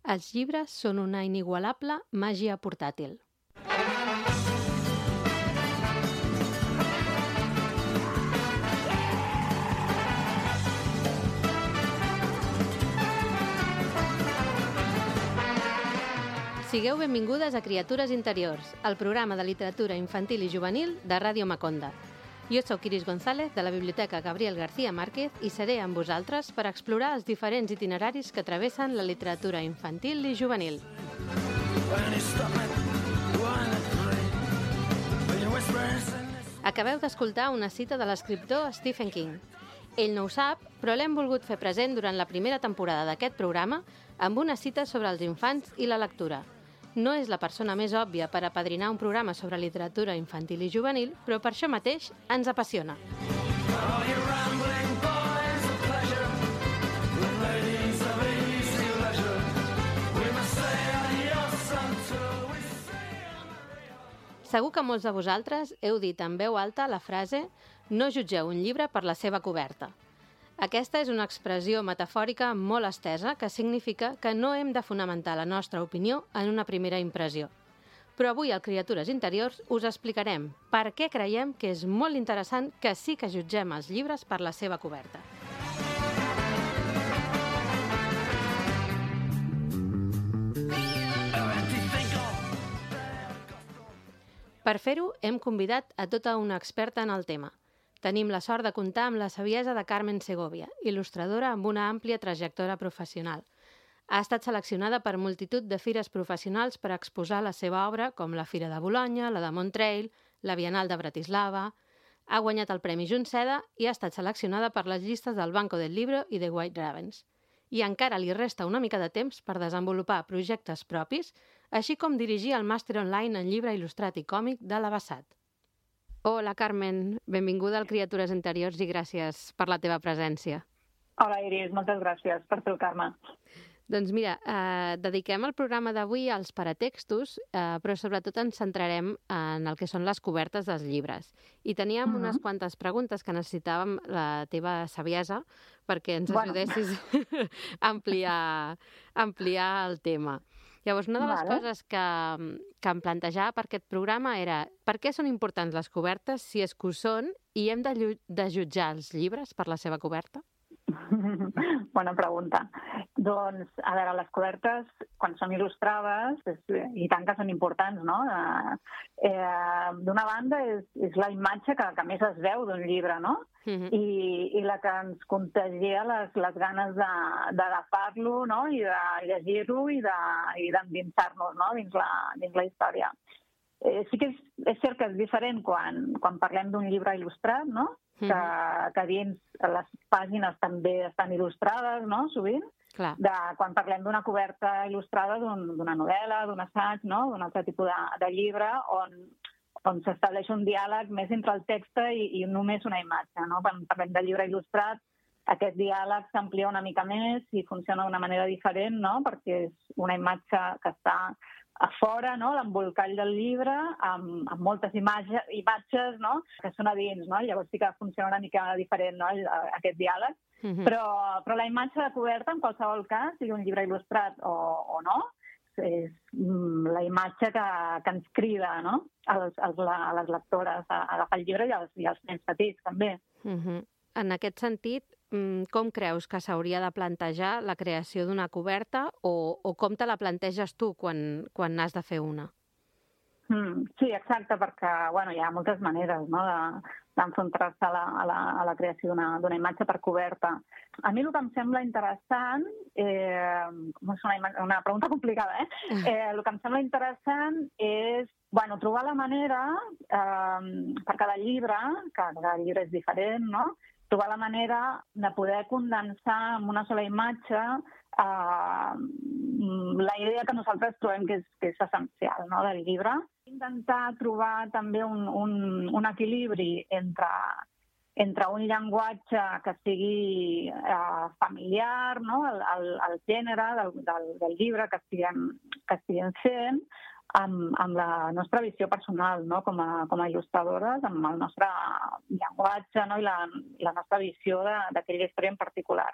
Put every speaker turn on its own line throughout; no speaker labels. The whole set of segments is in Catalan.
Els llibres són una inigualable màgia portàtil. Sigueu benvingudes a Criatures Interiors, el programa de literatura infantil i juvenil de Ràdio Maconda. Jo soc Iris González, de la Biblioteca Gabriel García Márquez, i seré amb vosaltres per explorar els diferents itineraris que travessen la literatura infantil i juvenil. Acabeu d'escoltar una cita de l'escriptor Stephen King. Ell no ho sap, però l'hem volgut fer present durant la primera temporada d'aquest programa amb una cita sobre els infants i la lectura. No és la persona més òbvia per apadrinar un programa sobre literatura infantil i juvenil, però per això mateix ens apassiona. Segur que molts de vosaltres heu dit en veu alta la frase «No jutgeu un llibre per la seva coberta». Aquesta és una expressió metafòrica molt estesa que significa que no hem de fonamentar la nostra opinió en una primera impressió. Però avui al Criatures Interiors us explicarem per què creiem que és molt interessant que sí que jutgem els llibres per la seva coberta. Per fer-ho, hem convidat a tota una experta en el tema. Tenim la sort de comptar amb la saviesa de Carmen Segovia, il·lustradora amb una àmplia trajectòria professional. Ha estat seleccionada per multitud de fires professionals per exposar la seva obra, com la Fira de Bolonya, la de Montreal, la Bienal de Bratislava. Ha guanyat el Premi Junceda i ha estat seleccionada per les llistes del Banco del Libro i de White Ravens. I encara li resta una mica de temps per desenvolupar projectes propis, així com dirigir el màster online en llibre il·lustrat i còmic de l'Abassat. Hola, Carmen. Benvinguda al Criatures Interiors i gràcies per la teva presència.
Hola, Iris. Moltes gràcies per trucar-me.
Doncs mira, dediquem el programa d'avui als paratextos, però sobretot ens centrarem en el que són les cobertes dels llibres. I teníem unes quantes preguntes que necessitàvem la teva saviesa perquè ens ajudessis a ampliar el tema. Llavors, una de les coses que em plantejava per aquest programa era per què són importants les cobertes, si és que ho són, i hem de jutjar els llibres per la seva coberta?
Bona pregunta. Doncs, a veure, les cobertes, quan són il·lustrades, i tant que són importants, no? D'una banda, és la imatge que més es veu d'un llibre, no? I la que ens contagia les ganes d'agafar-lo, no? I de llegir-lo i d'endinsar-nos, no? dins la història. Sí que és cert que és diferent quan parlem d'un llibre il·lustrat, no? Que dins les pàgines també estan il·lustrades, no? Sovint. Quan parlem d'una coberta il·lustrada d'una novel·la, d'un assaig, no? D'un altre tipus de llibre on s'estableix un diàleg més entre el text i només una imatge, no? Quan parlem de llibre il·lustrat, aquest diàleg s'amplia una mica més i funciona d'una manera diferent, no? Perquè és una imatge que està a fora, no? L'embolcall del llibre, amb moltes imatges, no? Que són a dins, no? Llavors sí que funciona una mica diferent, no? Aquest diàleg. Però la imatge de coberta, en qualsevol cas, sigui un llibre il·lustrat o no, és la imatge que ens crida, no? A les lectores a agafar el llibre i als nens petits, també.
En aquest sentit, com creus que s'hauria de plantejar la creació d'una coberta o com te la planteges tu quan has de fer una?
Sí, exacte, perquè hi ha moltes maneres, no? d'enfrontar-se a la creació d'una imatge per coberta. A mi el que em sembla interessant, és una pregunta complicada, el que em sembla interessant és trobar la manera, per cada llibre, que cada llibre és diferent, no? Trobar la manera de poder condensar en una sola imatge la idea que nosaltres trobem que és essencial, no? Del llibre. Intentar trobar també un equilibri entre un llenguatge que sigui familiar, no? El gènere del llibre, que sigui que estiguem fent amb la nostra visió personal, no? Com a il·lustradores, amb el nostre llenguatge, no? I la nostra visió d'aquella història en particular.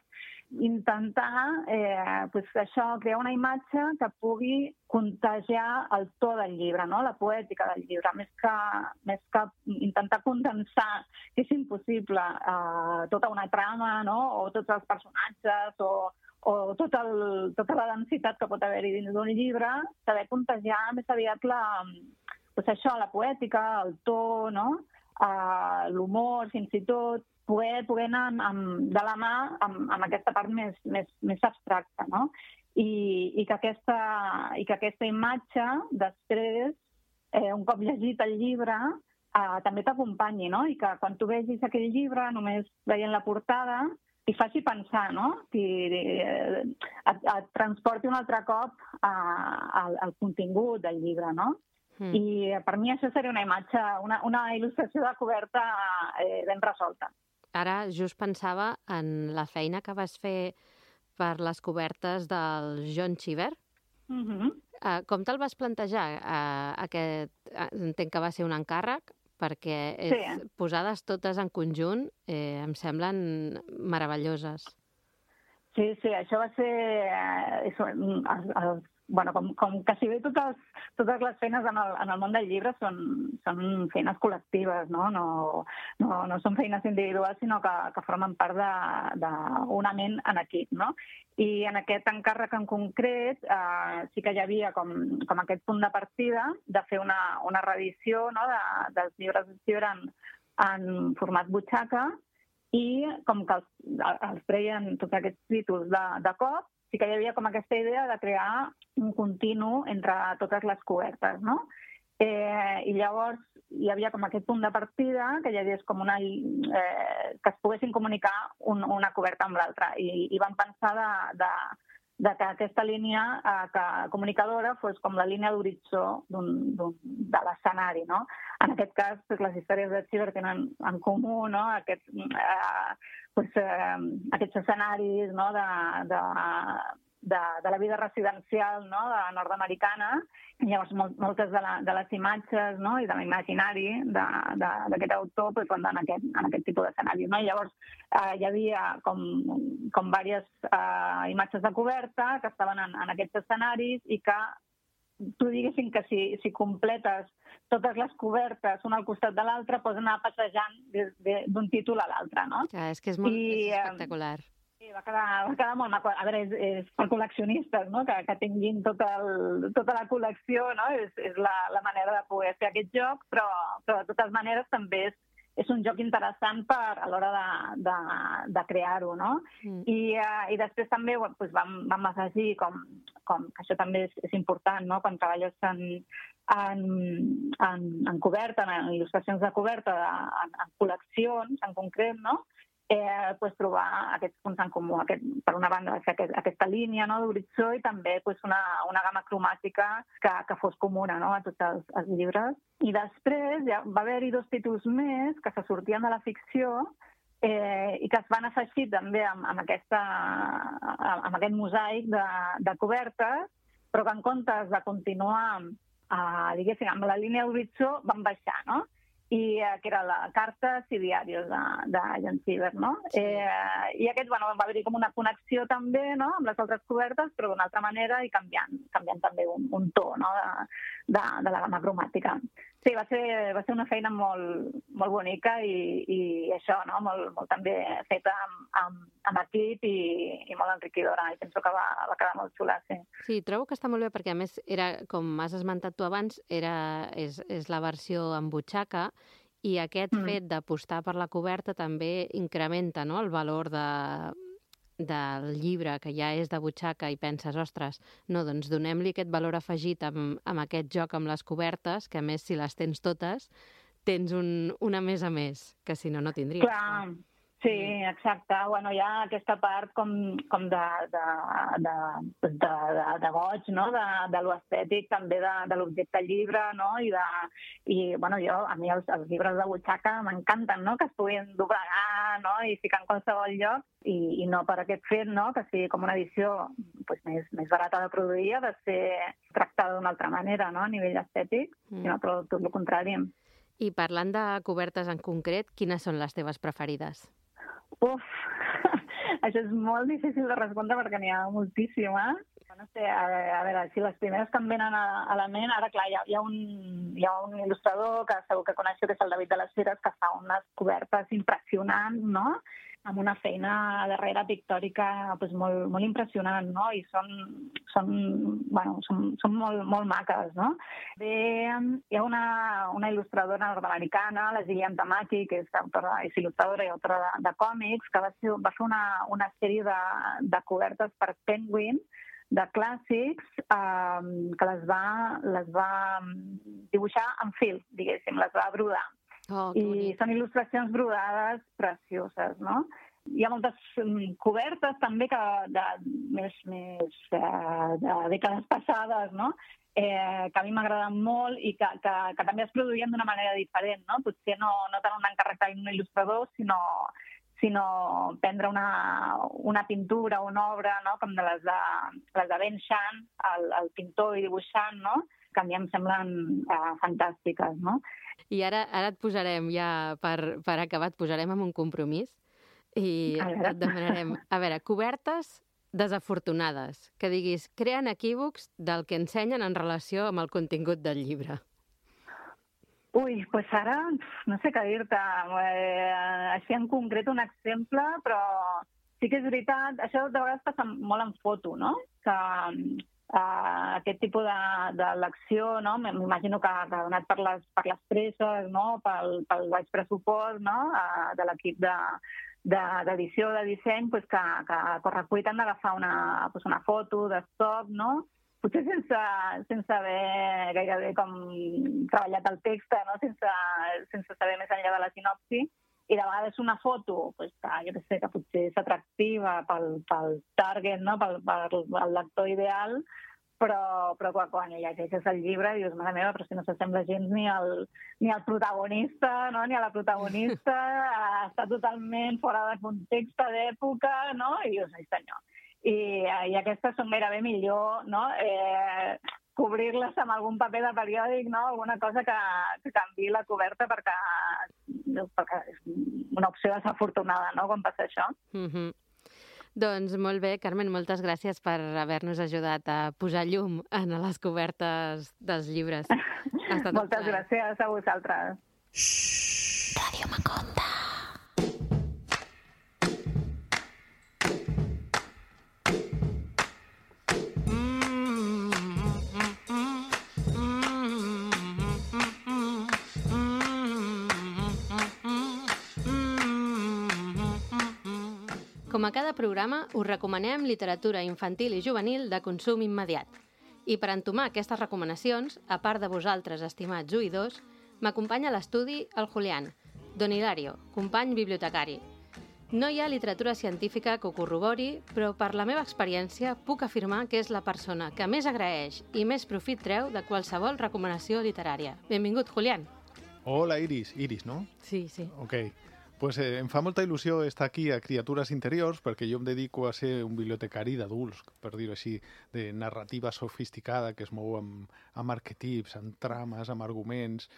Intentar això, crear una imatge que pugui contagiar el to del llibre, no? La poètica del llibre, més que intentar condensar, que és impossible, tota una trama, no? O tots els personatges, o tota la densitat que pot haver-hi dins d'un llibre, saber contagiar més aviat la poètica, el to, no? L'humor, fins i tot, poder anar de la mà amb aquesta part més abstracta, no? I que aquesta imatge, després, un cop llegit el llibre, també t'acompanyi, no? I que quan tu vegis aquell llibre, només veient la portada, i faci pensar, no? Et transporti un altre cop al contingut del llibre, no? I per mi això seria una imatge, una il·lustració de coberta ben resolta.
Ara just pensava en la feina que vas fer per les cobertes del John Cheever. Com te'l vas plantejar? Entenc que va ser un encàrrec, perquè posades totes en conjunt em semblen meravelloses.
Sí, això va ser... Com quasi bé totes les feines en el món del llibre són feines col·lectives, no? No són feines individuals, sinó que formen part d'una ment en equip, no? I en aquest encàrrec en concret sí que hi havia com aquest punt de partida de fer una reedició, no? dels llibres de Cheever en format butxaca, i com que els treien tots aquests títols de cop, sí que hi havia com aquesta idea de crear un continu entre totes les cobertes, no? I llavors hi havia com aquest punt de partida que hi hagués com que es poguessin comunicar una coberta amb l'altra. I vam pensar de que aquesta línia comunicadora fos com la línia d'horitzó de l'escenari, no? En aquest cas, les històries de Cheever tenen en comú, no? Aquests escenaris, no? de la vida residencial, no? Nord-americana. Llavors, moltes de les imatges, no? I de l'imaginari d'aquest autor van en aquest tipus d'escenaris, no? I llavors hi havia com diverses imatges de coberta que estaven en aquests escenaris i que tu diguessin que si completes totes les cobertes una al costat de l'altra, pots anar passejant d'un títol a l'altre, no?
És que és molt espectacular.
Sí, va quedar molt maco. A veure, és per col·leccionistes, no? Que tinguin tota la col·lecció, no? És la manera de poder fer aquest joc, però de totes maneres també és un joc interessant a l'hora de crear-ho, no? I després també vam afegir com que això també és important, no? Quan treballes en coberta, en il·lustracions de coberta, en col·leccions en concret, no? Trobar aquests punts en comú. Per una banda, aquesta línia, no? D'horitzó, i també una gamma cromàtica que fos comuna, no? A tots els llibres. I després va haver-hi 2 títols més que se sortien de la ficció i que es van afegir també amb aquest mosaic de cobertes, però que en comptes de continuar diguéssim, amb la línia d'horitzó van baixar, no? I que era la Cartes i Diaris de John Cheever, no? I aquest, va haver-hi com una connexió també, no? Amb les altres cobertes, però d'una altra manera i canviant també un to, no? De la gamma cromàtica. Sí, va ser una feina molt bonica i això, no? Molt també feta amb equip i molt enriquidora. I penso que va quedar molt xula, sí.
Sí, trobo que està molt bé perquè, a més, com has esmentat tu abans, és la versió en butxaca, i aquest fet d'apostar per la coberta també incrementa, no? El valor del llibre, que ja és de butxaca, i penses, ostres, no, doncs donem-li aquest valor afegit amb aquest joc amb les cobertes, que a més, si les tens totes, tens una més a més, que si no tindries.
Clar, Sí, exacte. Bueno, hi ha aquesta part com de goig, no? De lo estètic, també de l'objecte llibre, no? Bueno, a mi els llibres de butxaca m'encanten, no? Que es puguin doblegar, no? I ficar en qualsevol lloc, i no per aquest fet, no? Que sigui com una edició pues, més barata de produir, ha de ser tractada d'una altra manera, no? A nivell estètic, sinó tot el contrari.
I parlant de cobertes en concret, quines són les teves preferides?
Uf, això és molt difícil de respondre perquè n'hi ha moltíssimes. No sé, a veure, si les primeres que em venen a la ment, ara clar, hi ha un il·lustrador que segur que coneixo, que és el David de les Fires, que fa unes cobertes impressionants, no?, amb una feina darrere pictòrica pues, molt impressionant, no? I són molt maques, no? Bé, hi ha una il·lustradora nord-americana, la Gillian Tamaki, que és il·lustradora i autora de còmics, que va fer una sèrie de cobertes per Penguin, de clàssics, que les va dibuixar en fil, diguéssim, les va brodar. I són il·lustracions brodades precioses, no? Hi ha moltes cobertes també més de dècades passades, no? Que a mi m'agraden molt i que també es produïen d'una manera diferent, no? Potser no tant un encàrrec d'un il·lustrador, sinó prendre una pintura o una obra, no? Com les de Ben Shahn, el pintor i dibuixant, no? Que a mi em semblen fantàstiques, no?
I ara et posarem, ja per acabar, et posarem amb un compromís i et demanarem, a veure, cobertes desafortunades, que diguis, creen equívocs del que ensenyen en relació amb el contingut del llibre.
Ui, doncs ara no sé què dir-te. Així en concret un exemple, però sí que és veritat, això de vegades passa molt en foto, no? Que aquest tipus de lecció, no? M'imagino que ha donat per les presses, no? Pel baix pressupost, no? De l'equip d'edició, de disseny, que a correcuita han d'agafar una foto d'estoc, no? Potser sense haver gairebé com treballat el text, no? Sense saber més enllà de la sinopsi. I de vegades una foto que jo sé que potser és atractiva pel target, no? Per lector ideal, però quan llegeixes el llibre dius, mare meva, però si no s'assembla gens ni al protagonista, no? Ni a la protagonista, està totalment fora de context, d'època, no? I dius, ai senyor. I aquestes són gairebé millor, no? Cobrir-les amb algun paper de periòdic, no? Alguna cosa que canviï la coberta perquè és una opció desafortunada, no?, quan passa això.
Doncs molt bé, Carmen, moltes gràcies per haver-nos ajudat a posar llum en les cobertes dels llibres.
Moltes gràcies a vosaltres.
Ràdio Maconda. Com a cada programa, us recomanem literatura infantil i juvenil de consum immediat. I per entomar aquestes recomanacions, a part de vosaltres, estimats oïdors, m'acompanya a l'estudi el Julián, Don Hilario, company bibliotecari. No hi ha literatura científica que ho corrobori, però per la meva experiència puc afirmar que és la persona que més agraeix i més profit treu de qualsevol recomanació literària. Benvingut, Julián.
Hola, Iris. Iris, no?
Sí, sí.
Ok. Pues em fa molta il·lusió estar aquí a Criatures Interiors perquè jo em dedico a ser un bibliotecari d'adults, per dir-ho així, de narrativa sofisticada que es mou amb arquetips, amb trames, amb arguments.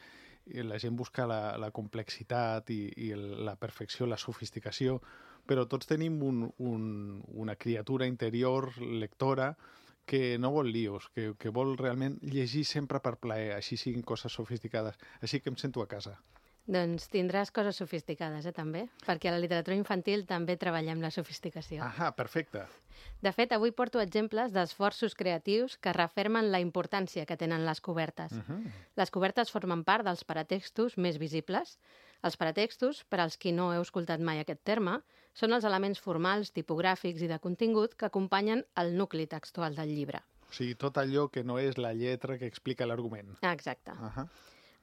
I la gent busca la complexitat i la perfecció, la sofisticació, però tots tenim una criatura interior, lectora, que no vol líos, que vol realment llegir sempre per plaer, així siguin coses sofisticades. Així que em sento a casa.
Doncs tindràs coses sofisticades, també, perquè a la literatura infantil també treballem la sofisticació.
Ah, perfecte.
De fet, avui porto exemples d'esforços creatius que refermen la importància que tenen les cobertes. Les cobertes formen part dels paratextos més visibles. Els paratextos, per als qui no heu escoltat mai aquest terme, són els elements formals, tipogràfics i de contingut que acompanyen el nucli textual del llibre.
O sigui, tot allò que no és la lletra que explica l'argument.
Exacte.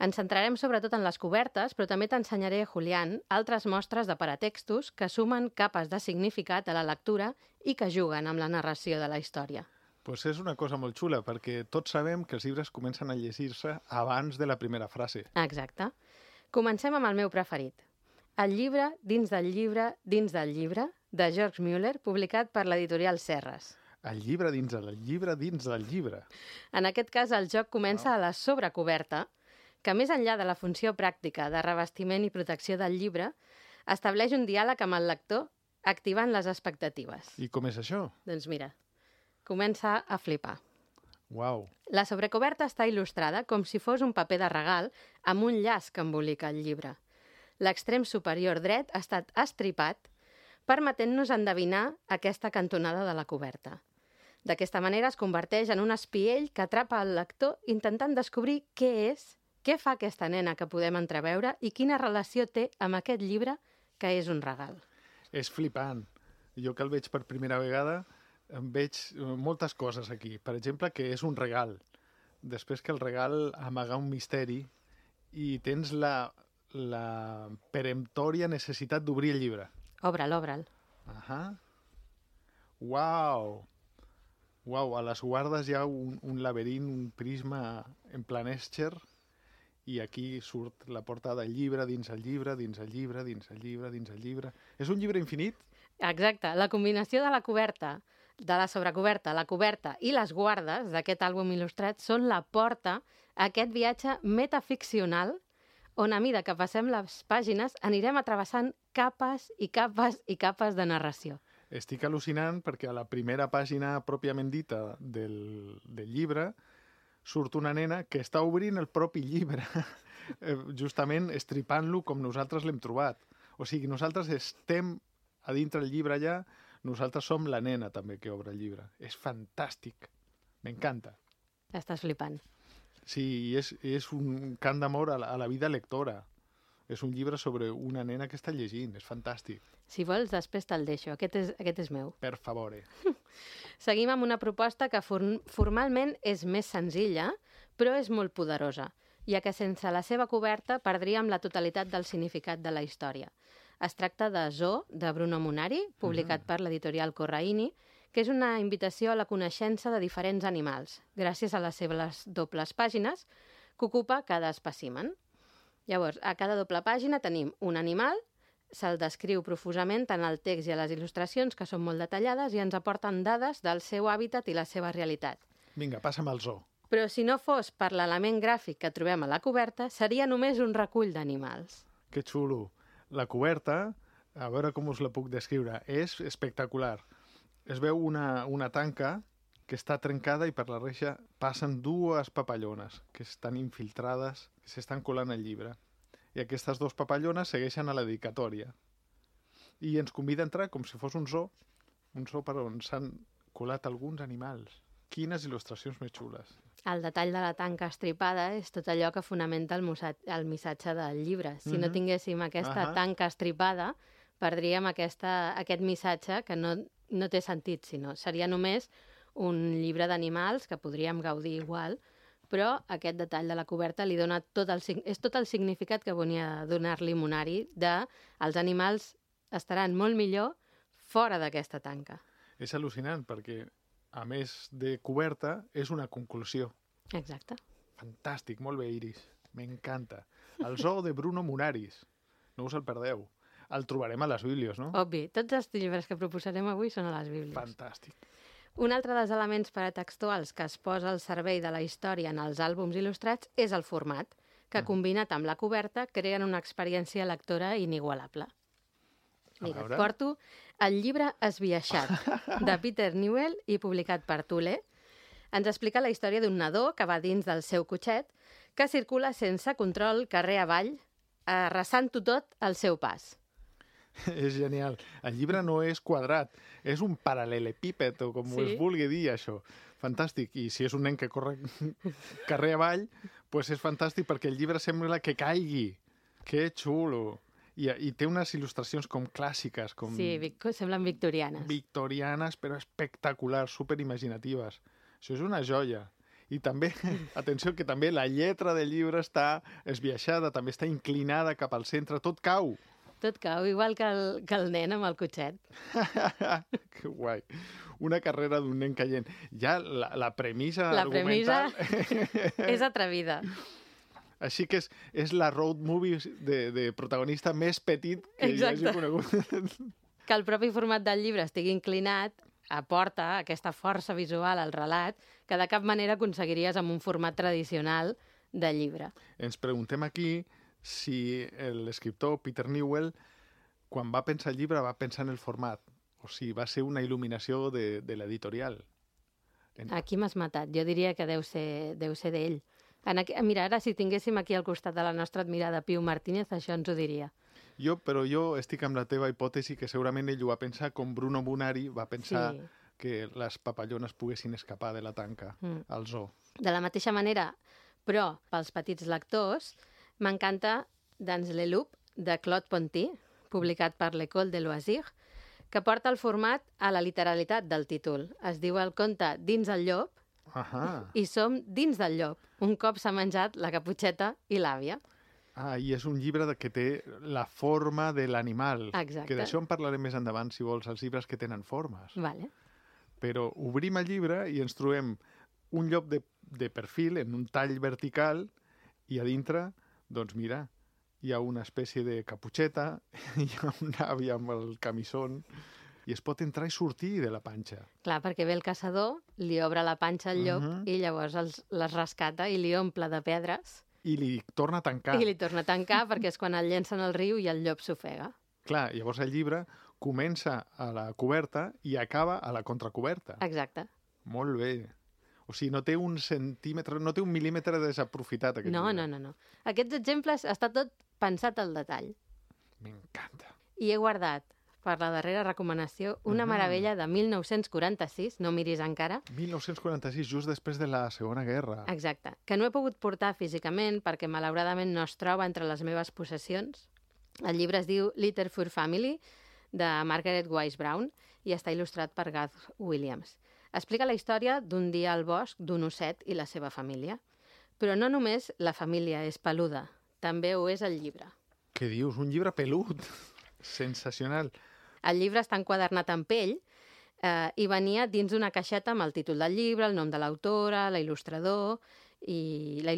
Ens centrarem sobretot en les cobertes, però també t'ensenyaré, Julián, altres mostres de paratextos que sumen capes de significat a la lectura i que juguen amb la narració de la història.
Pues és una cosa molt xula, perquè tots sabem que els llibres comencen a llegir-se abans de la primera frase.
Exacte. Comencem amb el meu preferit. El llibre dins del llibre dins del llibre, de George Müller, publicat per l'editorial Serres.
El llibre dins del llibre dins del llibre.
En aquest cas, el joc comença a la sobrecoberta, que més enllà de la funció pràctica de revestiment i protecció del llibre, estableix un diàleg amb el lector activant les expectatives.
I com és això?
Doncs mira, comença a flipar.
Uau.
La sobrecoberta està il·lustrada com si fos un paper de regal amb un llaç que embolica el llibre. L'extrem superior dret ha estat estripat, permetent-nos endevinar aquesta cantonada de la coberta. D'aquesta manera es converteix en un espiell que atrapa el lector intentant descobrir què és, què fa aquesta nena que podem entreveure i quina relació té amb aquest llibre que és un regal.
És flipant. Jo que el veig per primera vegada em veig moltes coses aquí. Per exemple, que és un regal. Després que el regal amaga un misteri i tens la peremptòria necessitat d'obrir el llibre.
Obre'l, obre'l.
Ahà. Uau! Uau, a les guardes hi ha un laberint, un prisma en plan Escher, i aquí surt la portada del llibre, dins el llibre, dins el llibre, dins el llibre, dins el llibre. És un llibre infinit?
Exacte. La combinació de la coberta, de la sobrecoberta, la coberta i les guardes d'aquest àlbum il·lustrat són la porta a aquest viatge metaficcional on a mesura que passem les pàgines anirem atrevessant capes i capes i capes de narració.
Estic al·lucinant perquè a la primera pàgina pròpiament dita del llibre surt una nena que està obrint el propi llibre, justament estripant-lo com nosaltres l'hem trobat. O sigui, nosaltres estem a dintre el llibre allà, nosaltres som la nena també que obre el llibre. És fantàstic. M'encanta.
Estàs flipant.
Sí, és un cant d'amor a la vida lectora. És un llibre sobre una nena que està llegint. És fantàstic.
Si vols, després te'l deixo. Aquest és meu.
Per favor.
Seguim amb una proposta que formalment és més senzilla, però és molt poderosa, ja que sense la seva coberta perdríem la totalitat del significat de la història. Es tracta de Zoo, de Bruno Munari, publicat per l'editorial Corraini, que és una invitació a la coneixença de diferents animals, gràcies a les seves dobles pàgines que ocupa cada espècimen. Llavors, a cada doble pàgina tenim un animal, se'l descriu profusament tant al text i a les il·lustracions, que són molt detallades, i ens aporten dades del seu hàbitat i la seva realitat.
Vinga, passa'm al zoo.
Però si no fos per l'element gràfic que trobem a la coberta, seria només un recull d'animals.
Que xulo. La coberta, a veure com us la puc descriure, és espectacular. Es veu una tanca que està trencada i per la reixa passen dues papallones que estan infiltrades, que s'estan colant al llibre. I aquestes dues papallones segueixen a la dedicatòria. I ens convida a entrar com si fos un zoo per on s'han colat alguns animals. Quines il·lustracions més xules.
El detall de la tanca estripada és tot allò que fonamenta el missatge del llibre. Si no tinguéssim aquesta tanca estripada, perdríem aquest missatge que no té sentit, sinó seria només un llibre d'animals que podríem gaudir igual, però aquest detall de la coberta li dona tot el significat que volia donar-li Munari de els animals estaran molt millor fora d'aquesta tanca.
És al·lucinant perquè, a més de coberta, és una conclusió.
Exacte.
Fantàstic, molt bé, Iris. M'encanta. El zoo de Bruno Munaris. No us el perdeu. El trobarem a les bíblies, no?
Obvi. Tots els llibres que proposarem avui són a les bíblies.
Fantàstic.
Un altre dels elements paratextuals que es posa al servei de la història en els àlbums il·lustrats és el format, que combinat amb la coberta creen una experiència lectora inigualable. Mira, et porto El llibre esbiaixat, de Peter Newell i publicat per Thule. Ens explica la història d'un nadó que va dins del seu cotxet, que circula sense control carrer avall, arrasant-ho tot al seu pas.
És genial. El llibre no és quadrat, és un paral·lelepíped, o com es vulgui dir això. Fantàstic. I si és un nen que corre carrer avall, doncs és fantàstic perquè el llibre sembla que caigui. Que xulo. I té unes il·lustracions com clàssiques. Com...
Sí, semblen victorianes.
Victorianes, però espectaculars, superimaginatives. Això és una joia. I també, atenció, que també la lletra del llibre està esbiaixada, també està inclinada cap al centre, tot cau.
Tot cau, igual que el nen amb el cotxet.
Que guai. Una carrera d'un nen caient. Ja la premissa
La
argumental...
és atrevida.
Així que és la road movie de protagonista més petit que jo hagi conegut.
Que el propi format del llibre estigui inclinat aporta aquesta força visual al relat que de cap manera aconseguiries amb un format tradicional de llibre.
Ens preguntem aquí si l'escriptor Peter Newell, quan va pensar el llibre, va pensar en el format, o si va ser una il·luminació de l'editorial.
Aquí m'has matat. Jo diria que deu ser d'ell. Mira, ara si tinguéssim aquí al costat de la nostra admirada Piu Martínez, això ens ho diria.
Però jo estic amb la teva hipòtesi que segurament ell ho va pensar com Bruno Munari va pensar que les papallones poguessin escapar de la tanca al zoo.
De la mateixa manera, però pels petits lectors, m'encanta Dans le Loup, de Claude Ponty, publicat per l'École de Loisirs, que porta el format a la literalitat del títol. Es diu el conte Dins el llop, i som dins del llop, un cop s'ha menjat la caputxeta i l'àvia.
I és un llibre que té la forma de l'animal.
Exacte.
Que d'això en parlarem més endavant, si vols, els llibres que tenen formes.
Vale.
Però obrim el llibre i ens trobem un llop de perfil en un tall vertical i a dintre, doncs mira, hi ha una espècie de caputxeta, hi ha una àvia amb el camisón i es pot entrar i sortir de la panxa.
Clar, perquè ve el caçador, li obre la panxa al llop i llavors les rescata i li omple de pedres.
I li torna a tancar.
I li torna a tancar perquè és quan el llencen al riu i el llop s'ofega.
Clar, llavors el llibre comença a la coberta i acaba a la contracoberta.
Exacte.
Molt bé. O sigui, no té un centímetre, no té un mil·límetre desaprofitat aquest llibre.
No. Aquests exemples està tot pensat al detall.
M'encanta.
I he guardat per la darrera recomanació una meravella de 1946, no miris encara.
1946, just després de la Segona Guerra.
Exacte, que no he pogut portar físicament perquè malauradament no es troba entre les meves possessions. El llibre es diu Little Fur Family, de Margaret Wise Brown, i està il·lustrat per Garth Williams. Explica la història d'un dia al bosc d'un osset i la seva família. Però no només la família és peluda, també ho és el llibre.
Què dius? Un llibre pelut? Sensacional.
El llibre està enquadernat en pell i venia dins d'una caixeta amb el títol del llibre, el nom de l'autora, l'il·lustrador i